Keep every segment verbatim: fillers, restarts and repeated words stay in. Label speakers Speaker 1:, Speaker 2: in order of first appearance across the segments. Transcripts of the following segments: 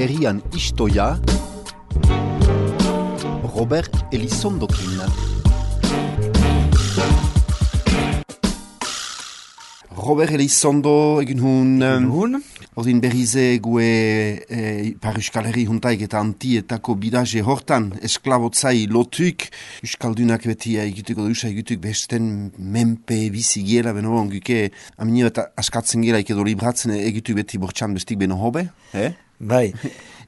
Speaker 1: herrian istoia Robert Elizondokin. Robert Elizondo egin hun...
Speaker 2: Hun?
Speaker 1: Ordin berrize gue e, par Euskal Herri juntaik eta antietako bidaje hortan esklabotzai lotuk Euskaldunak beti egituko dusa egituk besten menpe bizi giela beno onguke amini bat askatzen gela edo libratzen egitu beti bortxan bestik beno hobe, eh?
Speaker 2: Bai.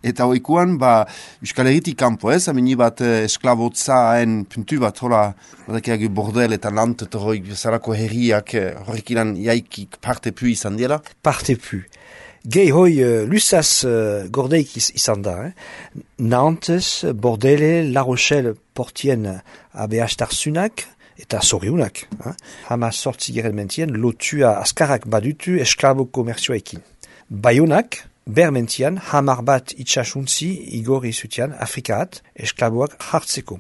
Speaker 1: Eta oikuan, ba, Euskal Herritik kanpo ez, amini bat esklabotzaen puntu bat, hola, badakiak bordel eta lant eta hori bezalako herriak horrek ilan jaikik parte pu izan dela?
Speaker 2: Parte pu. Gehi hoi uh, lusaz uh, gordeik iz, izan da. Eh? Nantes, Bordele, La Rochelle, Portien, abeastarzunak eta zoriunak. Eh? Hama sortzi geren mentien, lotua askarrak badutu esklabo komerzioekin. Baionak, bermentian, hamar bat itxasuntzi igorri zutian Afrikaat esklaboak hartzeko.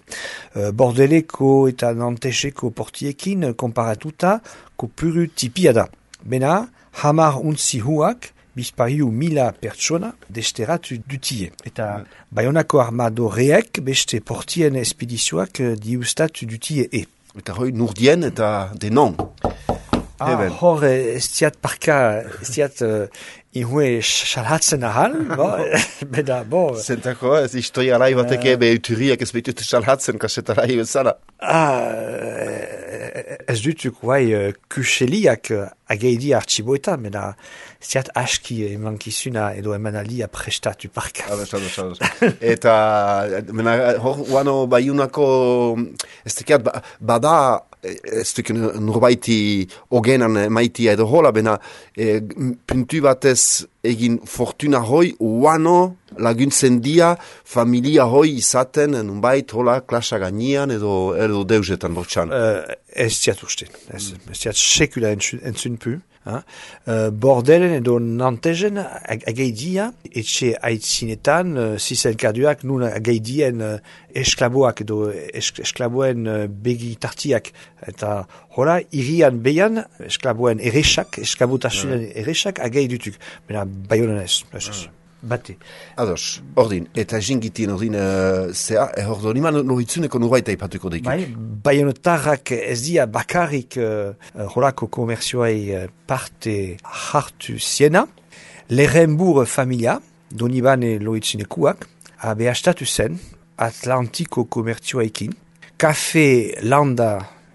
Speaker 2: Uh, Bordeleko eta Nanteseko portiekin konparatuta kopuru tipia da. Bena, hamar untzi huak bizpariu mila pertsona desteratu dutie. Eta Baionako armadoreek beste portien espedizioak diustatu dutie e.
Speaker 1: Eta hoi nurdien eta denon.
Speaker 2: Ah, hor ez diat parka, ez diat uh, inhue xalhatzen ahal, bo, beda, bo.
Speaker 1: Zentako, ez istoia rai bateke uh, be uturiak ez betute xalhatzen kasetarai bezala.
Speaker 2: Ah, ez dutuk guai uh, kuseliak uh, ageidi archiboetan, beda, ez diat aski emankizuna edo emanaldia prestatu parka.
Speaker 1: Ados, ados, ados. Eta, mena, hor, uano Baionako, ez tekiat, bada, ez duk norbaiti ogenan maitia edo hola, bena e, puntu batez egin fortuna hoi, uano laguntzen dia familia hoi izaten, nunbait hola klasa ganian edo, edo deusetan bortxan.
Speaker 2: Uh, ez ziat uste, ez, ez ziat sekula entzun, entzun pu. Uh, Bordelen edo Nantesen ag ageidia, etxe aitzinetan, uh, zizelkaduak nun ageidien uh, esklaboak edo esk esklaboen uh, begi tartiak. Eta hola, irian behan, esklaboen eresak, esklabotasunen eresak ageidutuk. Bena, Baionan ez, ez ez. Bate.
Speaker 1: Ados, ordin, eta jingitien ordin, uh, zea, eh, ordin, iman loritzuneko nurbaita ipatuko daikik.
Speaker 2: Bai, Baionotarrak ez dia bakarrik uh, holako komerzioai uh, parte hartu ziena. Lerrenbur familia, donibane loritzunekuak, abeastatu zen, Atlantiko komerzioaikin, kafe landa,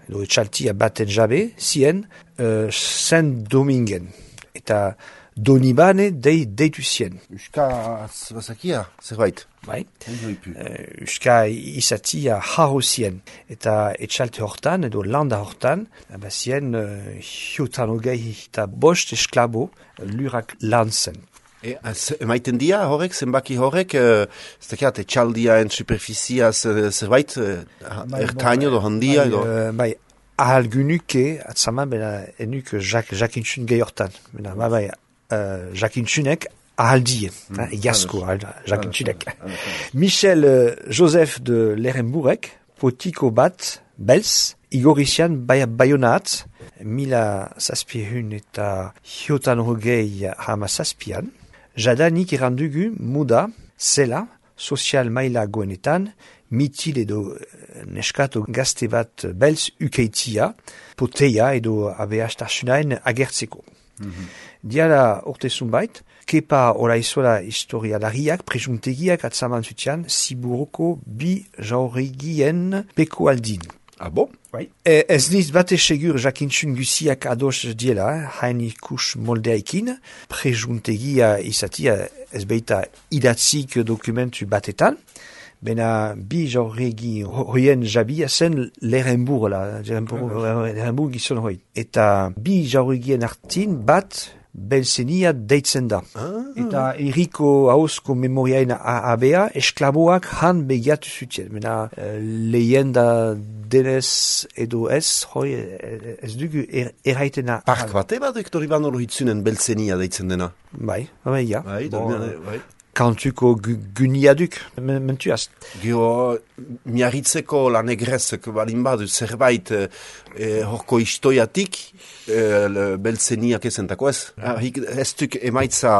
Speaker 2: edo etxaltia baten jabe, zien, uh, Saint Domingen. Eta Donibane dei deitu zien.
Speaker 1: Euska bazakia, zerbait.
Speaker 2: Bai. Euska izatia jarro zien. Eta etxalte hortan, edo landa hortan, bazien uh, hiotan hogei eta bost esklabo lurak lantzen.
Speaker 1: E, emaiten dia horrek, zenbaki horrek, uh, ez dakiat, etxaldiaen superfizia zerbait, uh, ertaino do handia edo?
Speaker 2: Uh, bai, ahal gunuke, atzaman, bena, enuk jak, jakintxun gehi hortan. Bena, bai, bai, Uh, jakintxunek ahaldien, mm, jasko jakintxunek. Michel uh, Joseph de Lerrenburek, potiko bat, belz, igorizian Baionaat, mila zazpihun eta hiotan hogei hama zazpian, jadanik errandugu muda, zela, sozial maila goenetan, mitil edo neskato gazte bat belz ukeitia, poteia edo abeastasunaen agertzeko. Mm-hmm. Diala urte zunbait, kepa oraizola historialariak, presuntegiak atzaman zutian, Ziburoko bi jaurigien peko aldin.
Speaker 1: Ah bon?
Speaker 2: Bai. E, ez niz bate segur jakintxun guziak ados diela, eh? Hain ikus moldeaikin, presuntegia izatia ez beita idatzik dokumentu batetan, bena bi jauregi hoien jabia zen Lerrenbur, la, Lerrenbur gizon hoi. Eta bi jauregien artin bat belzenia deitzen da. Ah. Eta eriko hauzko memoriaen abea esklaboak han begiatu zutien. Bena uh, lehenda denez edo ez, hoi ez dugu er, erraitena.
Speaker 1: Park bate bat ektori ban hori hitzunen belzenia deitzen dena?
Speaker 2: Bai, bai, ja.
Speaker 1: Bai,
Speaker 2: bon,
Speaker 1: bai.
Speaker 2: kantuko guniaduk, mentuaz.
Speaker 1: Gio, miarritzeko lan egrezek balin badu zerbait eh, horko historiatik, eh, beltzeniak ezentako ez. Ah, ez duk emaitza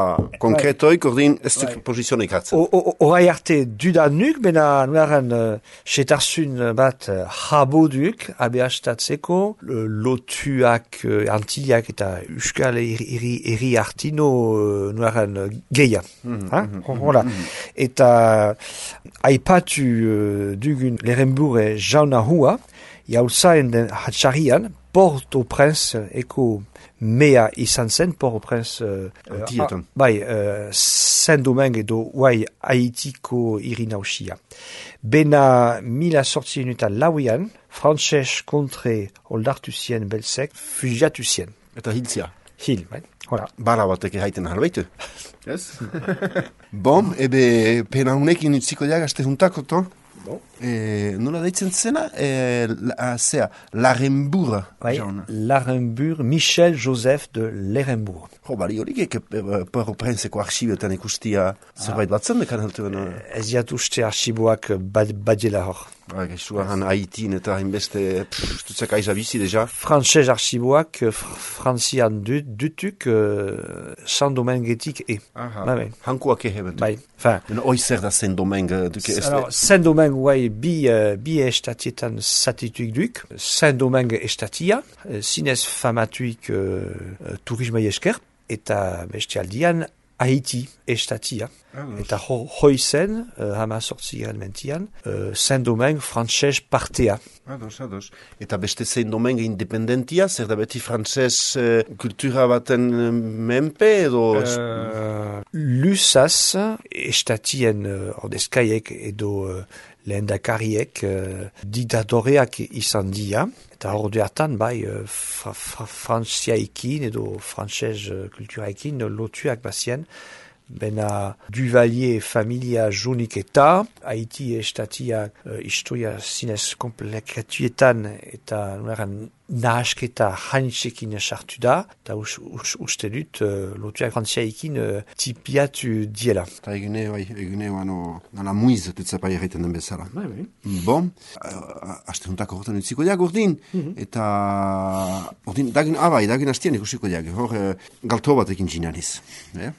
Speaker 1: konkretoik, ordin ez duk posizionik hartzen.
Speaker 2: Horai arte dudanuk, bena nuaren uh, setarzun bat uh, jaboduk abeastatzeko uh, lotuak, uh, antiak eta euskal eri, eri artino uh, nuaren uh, geia. Mm-hmm, Hola. Mm-hmm. Eta aipatu uh, dugun Lerenbur e jauna hua, jaulzaen den hatxarian, Port-au-Prince eko mea izan zen, Port-au-Prince uh, uh, bai, uh, Saint-Domingue edo guai Haitiko irinausia. Bena mila sortzien eta lauian, frantses kontre oldartu zien belzek, fugiatu zien.
Speaker 1: Eta hiltzia.
Speaker 2: Hil, bai. Voilà.
Speaker 1: Bala batek erraiten halbaitu. Yes. Bom, ebe pena hunekin utziko diagazte juntako, to? Bon. E, nola deitzen zena? E, la, zea, Larenbourg.
Speaker 2: Bai, Larenbourg, Michel Joseph de Larenbourg.
Speaker 1: Jo, bali horik eke Port-au-Princeko arxibioetan ikustia zerbait batzen dekan haltu bena?
Speaker 2: Ez jat uste arxiboak badiela hor.
Speaker 1: Ba, gaixuaran Haitin eta hainbeste, tutzak aiza bizi deja.
Speaker 2: Frantses arxiboak frantzian dutuk uh, Saint-Dominguetik e.
Speaker 1: Aha, ba, hankuak eheben.
Speaker 2: Bai, fin.
Speaker 1: Hoi zer da Saint-Domingue duke este?
Speaker 2: Alors, Saint-Domingue, guai, bi, uh, bi estatietan satituik duk. Saint-Domingue estatia, zinez famatuik uh, turismai esker, eta bestialdian Haiti estatia. Ah, eta ho, hoizen, uh, hama sortziren mentian, uh, Saint-Domingue frantses partea.
Speaker 1: Ados, ados. Eta beste Saint-Domingue independentia, zer da beti frantses uh, kultura baten menpe edo?
Speaker 2: Uh, Lusaz, estatien uh, ordezkaiek edo uh, lehendakariek uh, diktadoreak izan dia. Eta horde hartan, bai, uh, fra, fra, frantziaikin edo frantses uh, kulturaikin lotuak bazien, bena Duvalier familia jonik eta Haiti estatia uh, historia zinez komplekatuetan eta nueran nahasketa hainitzekin sartu da, eta uste dut uh, lotuak frantziaikin uh, tipiatu diela.
Speaker 1: Eta egune, bai, egune, ano, nala muiz, tutzapai erraiten den bezala.
Speaker 2: Bai, bai.
Speaker 1: Bon, uh, aste juntako hortan utziko diag urdin, mm-hmm. eta urdin, dagin, abai, dagin hastian ikusiko diag, hor uh, galto batekin ginaniz. Eh?